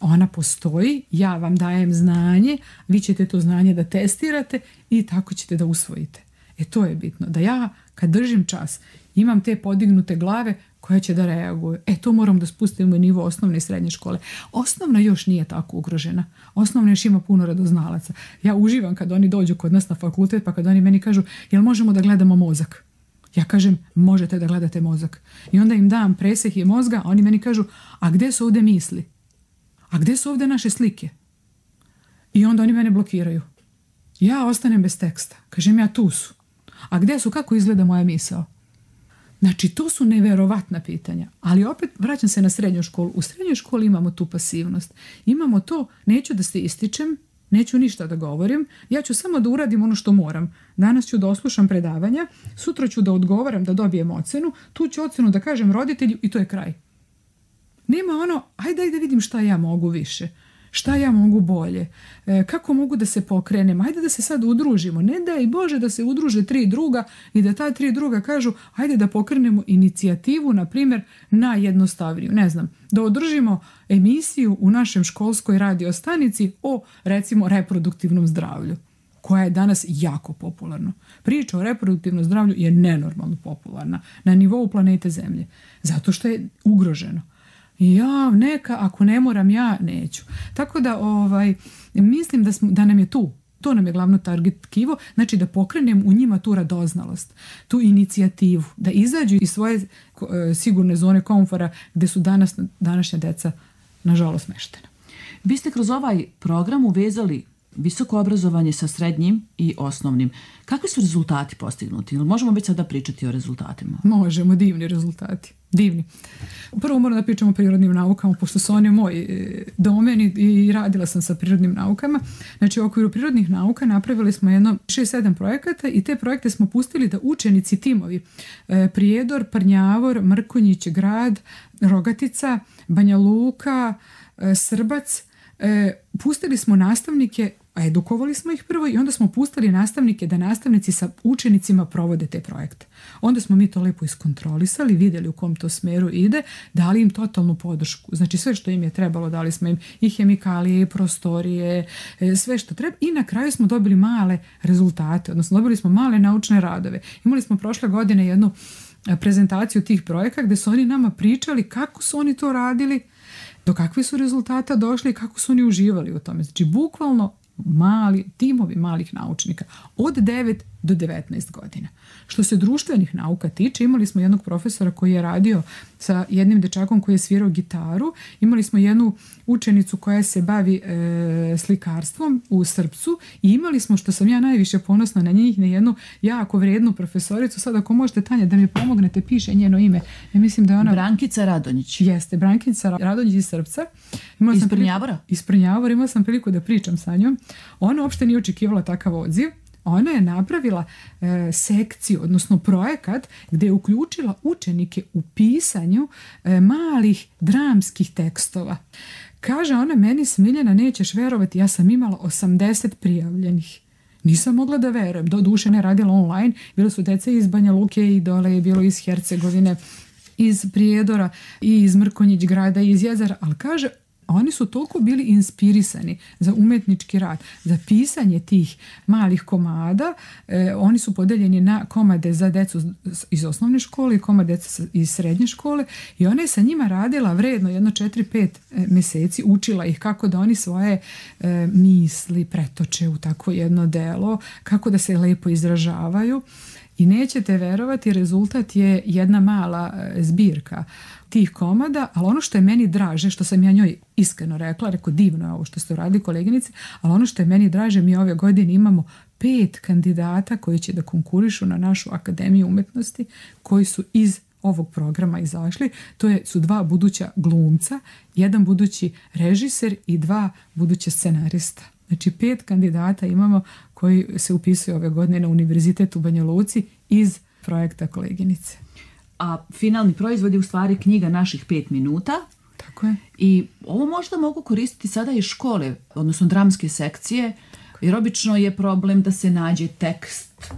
Ona postoji, ja vam dajem znanje, vi ćete to znanje da testirate i tako ćete da usvojite. E, to je bitno. Da ja, kad držim čas, imam te podignute glave koje će da reaguju. E, to moram da spustimo u nivo osnovne i srednje škole. Osnovna još nije tako ugrožena. Osnovna još ima puno radoznalaca. Ja uživam kad oni dođu kod nas na fakultet, pa kad oni meni kažu, jel možemo da gledamo mozak? Ja kažem, možete da gledate mozak. I onda im dam presjek mozga, a oni meni kažu, a gdje su ovdje misli? A gdje su ovdje naše slike? I onda oni mene blokiraju. Ja ostanem bez teksta. Kažem ja, tu su. A gdje su, kako izgleda moja misao? Znači, to su neverovatna pitanja. Ali opet vraćam se na srednju školu. U srednjoj školi imamo tu pasivnost. Imamo to, neću da se ističem, neću ništa da govorim, ja ću samo da uradim ono što moram. Danas ću da oslušam predavanja, sutra ću da odgovaram, da dobijem ocenu, tu ću ocenu da kažem roditelju i to je kraj. Nema ono, ajde, ajde vidim šta ja mogu više, šta ja mogu bolje, e, kako mogu da se pokrenem, ajde da se sad udružimo, ne daj Bože da se udruže tri druga i da ta tri druga kažu, ajde da pokrenemo inicijativu, na primjer, najjednostavniju, ne znam, da održimo emisiju u našem školskoj radio stanici o, recimo, reproduktivnom zdravlju, koja je danas jako popularna. Priča o reproduktivnom zdravlju je nenormalno popularna na nivou planete Zemlje, zato što je ugroženo. Ja, neka, ako ne moram, ja neću. Tako da ovaj, mislim da, smo, da nam je tu, to nam je glavno target tkivo, znači da pokrenem u njima tu radoznalost, tu inicijativu, da izađu iz svoje e, sigurne zone komfora gdje su danas, današnja deca nažalost smeštena. Vi ste kroz ovaj program uvezali visoko obrazovanje sa srednjim i osnovnim. Kakvi su rezultati postignuti? Možemo već sada pričati o rezultatima? Možemo, divni rezultati. Divni. Prvo moram da pričamo o prirodnim naukama, pošto su oni moj domen i radila sam sa prirodnim naukama. Znači, u okviru prirodnih nauka napravili smo jedno šest sedam projekata i te projekte smo pustili da učenici, timovi Prijedor, Prnjavor, Mrkonjić grad, Rogatica, Banja Luka, Srbac, pustili smo nastavnike, a edukovali smo ih prvo i onda smo pustili nastavnike da nastavnici sa učenicima provode te projekte. Onda smo mi to lepo iskontrolisali, vidjeli u kom to smjeru ide, dali im totalnu podršku. Znači sve što im je trebalo, dali smo im i hemikalije, i prostorije, sve što treba i na kraju smo dobili male rezultate, odnosno dobili smo male naučne radove. Imali smo prošle godine jednu prezentaciju tih projekata gdje su oni nama pričali kako su oni to radili, do kakvih su rezultata došli i kako su oni uživali u tome. Znači, bukvalno mali, timovi malih naučnika od devet do devetnaest godina. Što se društvenih nauka tiče, imali smo jednog profesora koji je radio sa jednim dečakom koji je svirao gitaru, imali smo jednu učenicu koja se bavi e, slikarstvom u Srpcu i imali smo, što sam ja najviše ponosna na njih, na jednu jako vrijednu profesoricu. Sad ako možete, Tanja, da mi pomognete, piše njeno ime. Ja mislim da je ona... Brankica Radonjić. Jeste, Brankica Radonjić iz Srpca. Imala iz Prnjavora? Iz Prnjavora, imala sam priliku da pričam sa njom. Ona uopšte nije očekivala takav odziv. Ona je napravila e, sekciju, odnosno projekat gdje je uključila učenike u pisanju e, malih dramskih tekstova. Kaže ona meni, Smiljana, nećeš verovati, ja sam imala osamdeset prijavljenih. Nisam mogla da verujem, do duše ne radila online, bilo su dece iz Banja Luke i dole je bilo iz Hercegovine, iz Prijedora i iz Mrkonjić grada i iz Jezera, ali kaže, Oni su toliko bili inspirisani za umetnički rad, za pisanje tih malih komada. E, oni su podeljeni na komade za decu iz osnovne škole i komade deca iz srednje škole i ona je sa njima radila vredno jedno četiri pet mjeseci, učila ih kako da oni svoje e, misli pretoče u takvo jedno delo, kako da se lepo izražavaju. I nećete verovati, rezultat je jedna mala zbirka tih komada, ali ono što je meni draže, što sam ja njoj iskreno rekla, rekao divno je ovo što ste uradili koleginice, ali ono što je meni draže, mi ove godine imamo pet kandidata koji će da konkurišu na našu Akademiju umetnosti, koji su iz ovog programa izašli. To je, su dva buduća glumca, jedan budući režiser i dva buduća scenarista. Znači pet kandidata imamo koji se upisuju ove godine na Univerzitet u Banja Luci iz projekta koleginice. A finalni proizvod je u stvari knjiga naših pet minuta. Tako je. I ovo možda mogu koristiti sada i škole, odnosno dramske sekcije, jer obično je problem da se nađe tekst.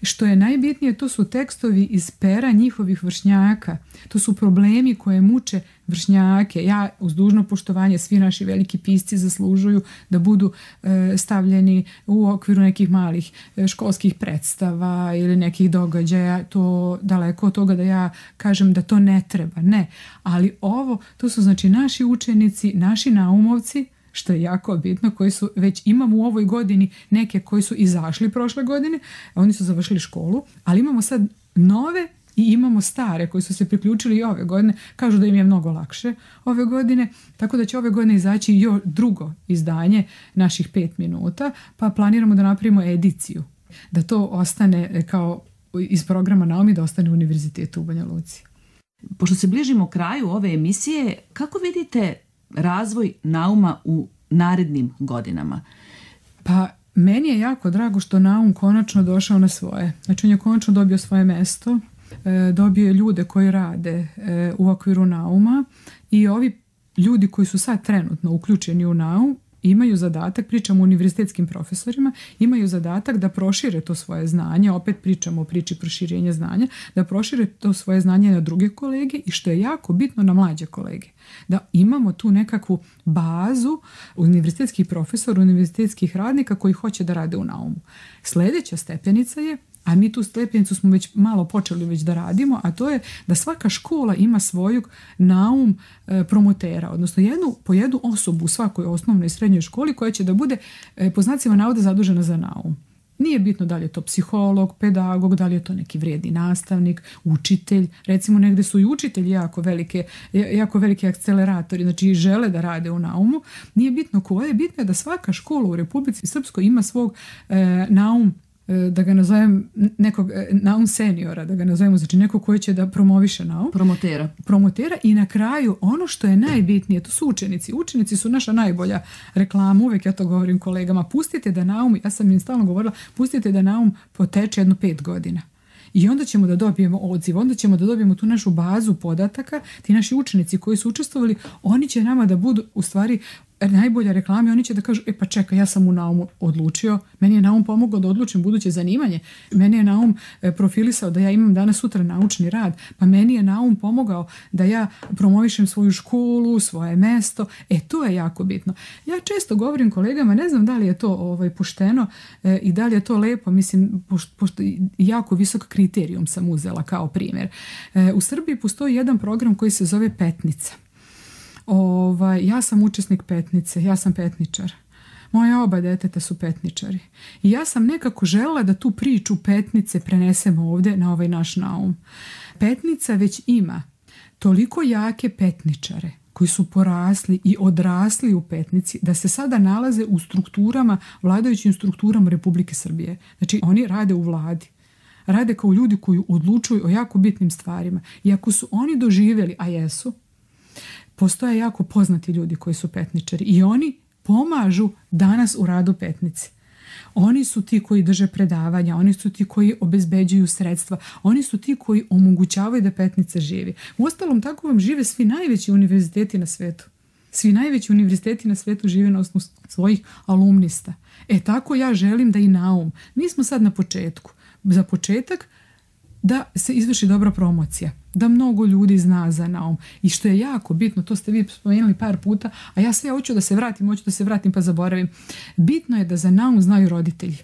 Što je najbitnije, to su tekstovi iz pera njihovih vršnjaka. To su problemi koje muče vršnjake. Ja, uz dužno poštovanje, svi naši veliki pisci zaslužuju da budu e, stavljeni u okviru nekih malih e, školskih predstava ili nekih događaja. To daleko od toga da ja kažem da to ne treba. Ne. Ali ovo, to su znači naši učenici, naši naumovci, što je jako bitno, koji su već imamo u ovoj godini neke koji su izašli prošle godine, oni su završili školu, ali imamo sad nove i imamo stare koji su se priključili i ove godine, kažu da im je mnogo lakše ove godine, tako da će ove godine izaći još drugo izdanje naših pet minuta, pa planiramo da napravimo ediciju, da to ostane kao iz programa Naumi, da ostane u Univerzitetu u Banja Luci. Pošto se bližimo kraju ove emisije, kako vidite razvoj Nauma u narednim godinama? Pa meni je jako drago što Naum konačno došao na svoje. Znači on je konačno dobio svoje mesto, dobio je ljude koji rade u okviru Nauma i ovi ljudi koji su sad trenutno uključeni u Naum imaju zadatak, pričamo o univerzitetskim profesorima, imaju zadatak da prošire to svoje znanje, opet pričamo o priči proširenja znanja, da prošire to svoje znanje na druge kolege i što je jako bitno na mlađe kolege. Da imamo tu nekakvu bazu univerzitetskih profesora, univerzitetskih radnika koji hoće da rade u Naumu. Sljedeća stepenica je, a mi tu stepenicu smo već malo počeli već da radimo, a to je da svaka škola ima svojeg Naum e, promotera, odnosno jednu, po jednu osobu u svakoj osnovnoj i srednjoj školi koja će da bude e, po znacima navoda zadužena za Naum. Nije bitno da li je to psiholog, pedagog, da li je to neki vrijedni nastavnik, učitelj. Recimo negde su i učitelji jako velike, jako veliki akceleratori, znači žele da rade u Naumu. Nije bitno ko je, bitno je da svaka škola u Republici Srpskoj ima svog e, Naum, da ga nazovem nekog Naum seniora, da ga nazovemo, znači neko koji će da promoviše Naum. Promotera. Promotera i na kraju ono što je najbitnije, to su učenici. Učenici su naša najbolja reklama, uvek ja to govorim kolegama, pustite da Naum, ja sam im stalno govorila, pustite da Naum poteče jedno pet godina. I onda ćemo da dobijemo odziv, onda ćemo da dobijemo tu našu bazu podataka, ti naši učenici koji su učestvovali, oni će nama da budu u stvari najbolja reklama i oni će da kažu, e pa čekaj, ja sam u Naumu odlučio, meni je Naum pomogao da odlučim buduće zanimanje, meni je Naum profilisao da ja imam danas sutra naučni rad, pa meni je Naum pomogao da ja promovišem svoju školu, svoje mesto, e to je jako bitno. Ja često govorim kolegama, ne znam da li je to ovaj, pošteno e, i da li je to lepo, mislim, pošto, pošto jako visok kriterijum sam uzela kao primjer. E, u Srbiji postoji jedan program koji se zove Petnica. Ovaj, ja sam učesnik Petnice, ja sam petničar. Moja oba deteta su petničari. I ja sam nekako želela da tu priču Petnice prenesemo ovdje na ovaj naš Naum. Petnica već ima toliko jake petničare koji su porasli i odrasli u Petnici da se sada nalaze u strukturama, vladajućim strukturama Republike Srbije. Znači oni rade u vladi. Rade kao ljudi koji odlučuju o jako bitnim stvarima. I ako su oni doživjeli, a jesu, postoje jako poznati ljudi koji su petničari i oni pomažu danas u radu Petnice. Oni su ti koji drže predavanja, oni su ti koji obezbeđuju sredstva, oni su ti koji omogućavaju da Petnica živi. Uostalom, tako vam žive svi najveći univerziteti na svetu. Svi najveći univerziteti na svetu žive na osnovu svojih alumnista. E tako ja želim da i Naum. Mi smo sad na početku. Za početak da se izvrši dobra promocija. da mnogo ljudi zna za naum. I što je jako bitno, to ste vi spomenuli par puta, a ja sve hoću da se vratim, hoću da se vratim pa zaboravim. Bitno je da za naum znaju roditelji.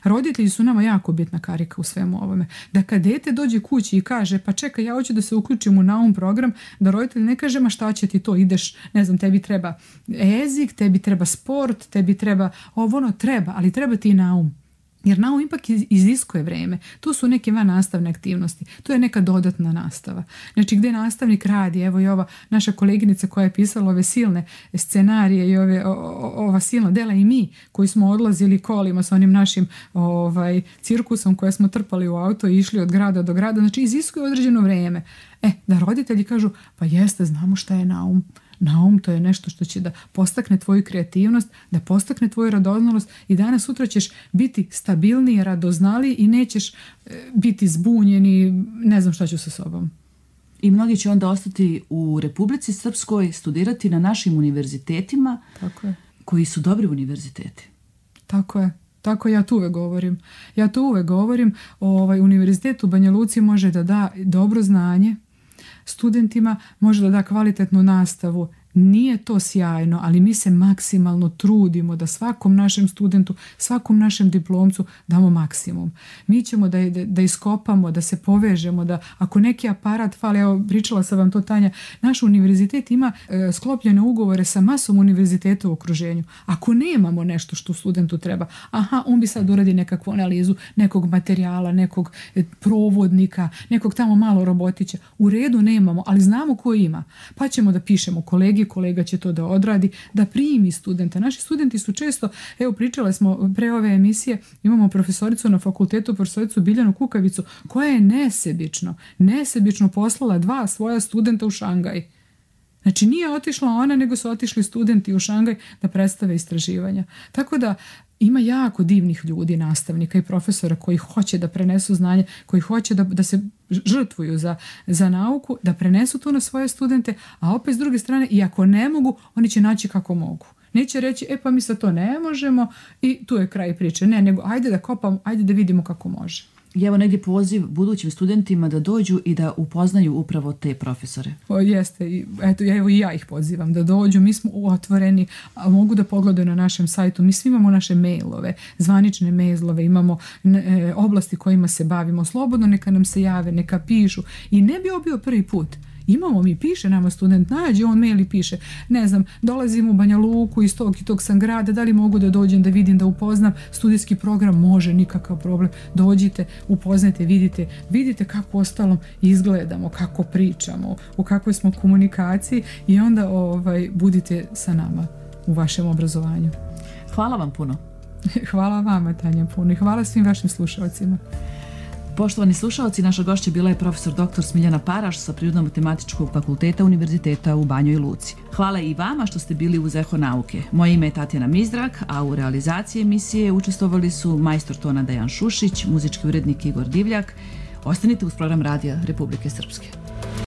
Roditelji su nama jako bitna karika u svemu ovome. Da kad dete dođe kući i kaže pa čekaj, ja hoću da se uključim u naum program, da roditelj ne kaže ma šta će ti to, ideš, ne znam, tebi treba jezik, tebi treba sport, tebi treba ovo, ono treba, ali treba ti i naum. Jer naum ipak iziskuje vreme. Tu su neke van nastavne aktivnosti. To je neka dodatna nastava. Znači gdje nastavnik radi, evo i ova naša koleginica koja je pisala ove silne scenarije i ove, o, ova silna dela i mi koji smo odlazili kolima sa onim našim ovaj, cirkusom koje smo trpali u auto i išli od grada do grada. Znači iziskuje određeno vreme. E, da roditelji kažu pa jeste, znamo šta je naum. Naum to je nešto što će da postakne tvoju kreativnost, da postakne tvoju radoznalost i danas sutra ćeš biti stabilniji, radoznaliji i nećeš biti zbunjen i ne znam šta ću sa sobom. I mnogi će onda ostati u Republici Srpskoj, studirati na našim univerzitetima. Tako je. Koji su dobri univerziteti. Tako je. Tako ja to uvek govorim. Ja to uvek govorim. Ovaj, univerzitet u Banja Luci može da da dobro znanje studentima, može da da kvalitetnu nastavu. Nije to sjajno, ali mi se maksimalno trudimo da svakom našem studentu, svakom našem diplomcu damo maksimum. Mi ćemo da, da, da iskopamo, da se povežemo, da ako neki aparat fali, evo pričala sam vam to Tanja, naš univerzitet ima e, sklopljene ugovore sa masom univerziteta u okruženju. Ako nemamo nešto što studentu treba, aha, on bi sad uradi nekakvu analizu nekog materijala, nekog e, provodnika, nekog tamo malo robotića. U redu nemamo, ali znamo ko ima. Pa ćemo da pišemo kolegi, kolega će to da odradi, da primi studenta. Naši studenti su često, evo pričale smo pre ove emisije, imamo profesoricu na fakultetu, profesoricu Biljanu Kukavicu, koja je nesebično, nesebično poslala dva svoja studenta u Šangaj. Znači nije otišla ona, nego su otišli studenti u Šangaj da predstave istraživanja. Tako da ima jako divnih ljudi, nastavnika i profesora koji hoće da prenesu znanje, koji hoće da, da se žrtvuju za, za nauku, da prenesu to na svoje studente, a opet s druge strane, i ako ne mogu, oni će naći kako mogu. Neće reći, e pa mi sad to ne možemo i tu je kraj priče. Ne, nego ajde da kopamo, ajde da vidimo kako može. I evo negdje poziv budućim studentima da dođu i da upoznaju upravo te profesore. O, jeste, i, eto, evo i ja ih pozivam da dođu, mi smo otvoreni, a mogu da pogledaju na našem sajtu, mi svi imamo naše mailove, zvanične mailove, imamo e, oblasti kojima se bavimo, slobodno neka nam se jave, neka pišu i ne bi ovo bio prvi put. Imamo mi, piše nama student, nađe on mail i piše, ne znam, dolazim u Banja Luku iz tog i tog sam grada, da li mogu da dođem da vidim, da upoznam studijski program, može, nikakav problem, dođite, upoznajte, vidite, vidite kako ostalom izgledamo, kako pričamo, u kakvoj smo komunikaciji i onda ovaj, budite sa nama u vašem obrazovanju. Hvala vam puno. Hvala vama, Tanja, puno i hvala svim vašim slušalcima. Poštovani slušalci, naša gošća bila je profesor doktor Smiljana Paraš sa Prirodno-matematičkog fakulteta Univerziteta u Banjoj Luci. Hvala i vama što ste bili uz Eho nauke. Moje ime je Tatjana Mizrak, a u realizaciji emisije učestvovali su majstor tona Dejan Šušić, muzički urednik Igor Divljak. Ostanite uz program Radija Republike Srpske.